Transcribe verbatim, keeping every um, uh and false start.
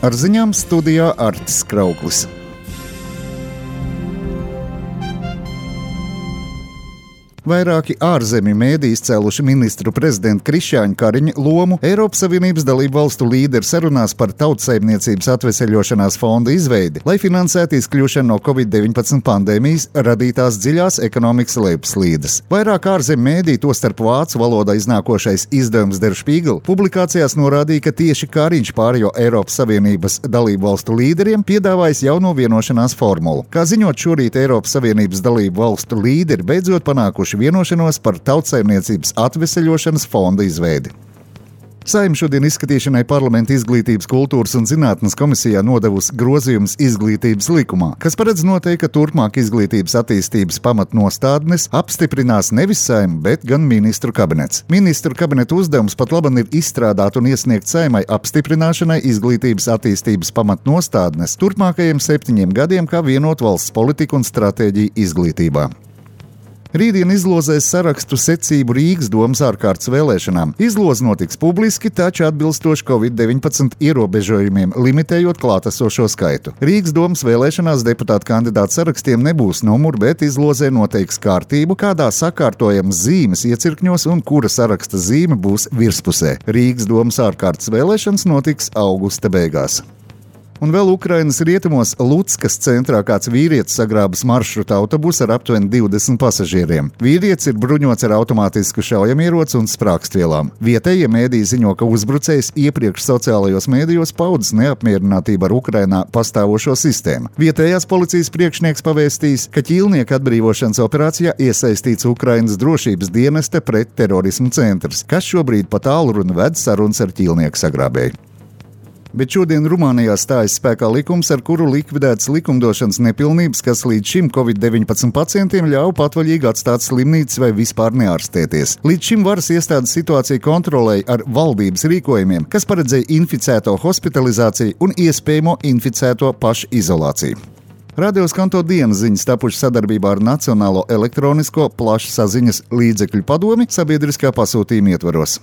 Ar ziņām studijā Artis Krauklis. Vairāki ārzemju mēdī izcēluši ministru prezidenta Krišjāņa Kariņa lomu Eiropas Savienības dalību valstu līderi sarunās par tautsaimniecības atveseļošanās fonda izveidi, lai finansētu izkļūšanu no covid deviņpadsmit pandēmijas radītās dziļās ekonomikas lejupslīdes. Vairāk ārzemju mēdī, tostarp vācu valodā iznākošais izdevums Der Spiegel, publikācijās norādīja, ka tieši Kariņš pārējo Eiropas Savienības dalību valstu līderiem piedāvājis jauno vienošanās formulu. Kā ziņot šorīt, Eiropas Savienības dalību valstu līderi beidzot panākuši vienošanos par tautsaimniecības atveseļošanas fonda izveidi. Saeima šodien izskatīšanai Parlamenta izglītības, kultūras un zinātnes komisijā nodevusi grozījumus izglītības likumā, kas paredz noteikt, ka turpmāk izglītības attīstības pamatnostādnes apstiprinās nevis Saeima, bet gan ministru kabinets. Ministru kabineta uzdevums pat laban ir izstrādāt un iesniegt Saeimai apstiprināšanai izglītības attīstības pamatnostādnes turpmākajiem septiņiem gadiem kā vienot valsts politiku un stratēģiju izglītībā. Rītdien izlozēs sarakstu secību Rīgas domas ārkārtas vēlēšanām. Izloze notiks publiski, taču atbilstoši covid deviņpadsmit ierobežojumiem, limitējot klātesošo skaitu. Rīgas domas vēlēšanās deputātu kandidātu sarakstiem nebūs numuri, bet izlozē noteiks kārtību, kādā sakārtojams zīmes iecirkņos un kura saraksta zīme būs virspusē. Rīgas domas ārkārtas vēlēšanas notiks augusta beigās. Un vēl Ukrainas rietumos Luckas centrā kāds vīrietis sagrābis maršruta autobusu ar aptuveni divdesmit pasažieriem. Vīrietis ir bruņots ar automātisku šaujamieroci un sprākstvielām. Vietējie mēdīji ziņo, ka uzbrucējs iepriekš sociālajos mēdījos paudis neapmierinātību ar Ukrainā pastāvošo sistēmu. Vietējās policijas priekšnieks pavēstījis, ka ķīlnieka atbrīvošanas operācijā iesaistīts Ukrainas drošības dienesta pretterorismu centrs, kas šobrīd pa tālruni ved sarunas ar ķīlnieku sagrābēju. Bet šodien Rumānijā stājas spēkā likums, ar kuru likvidētas likumdošanas nepilnības, kas līdz šim covid deviņpadsmit pacientiem ļauj patvaļīgi atstāt slimnīcas vai vispār neārstēties. Līdz šim varas iestādes situāciju kontrolēja ar valdības rīkojumiem, kas paredzēja inficēto hospitalizāciju un iespējamo inficēto pašizolāciju. Radio Skanto dienas ziņas tapušas sadarbībā ar Nacionālo elektronisko plašsaziņas līdzekļu padomi sabiedriskā pasūtījuma ietvaros.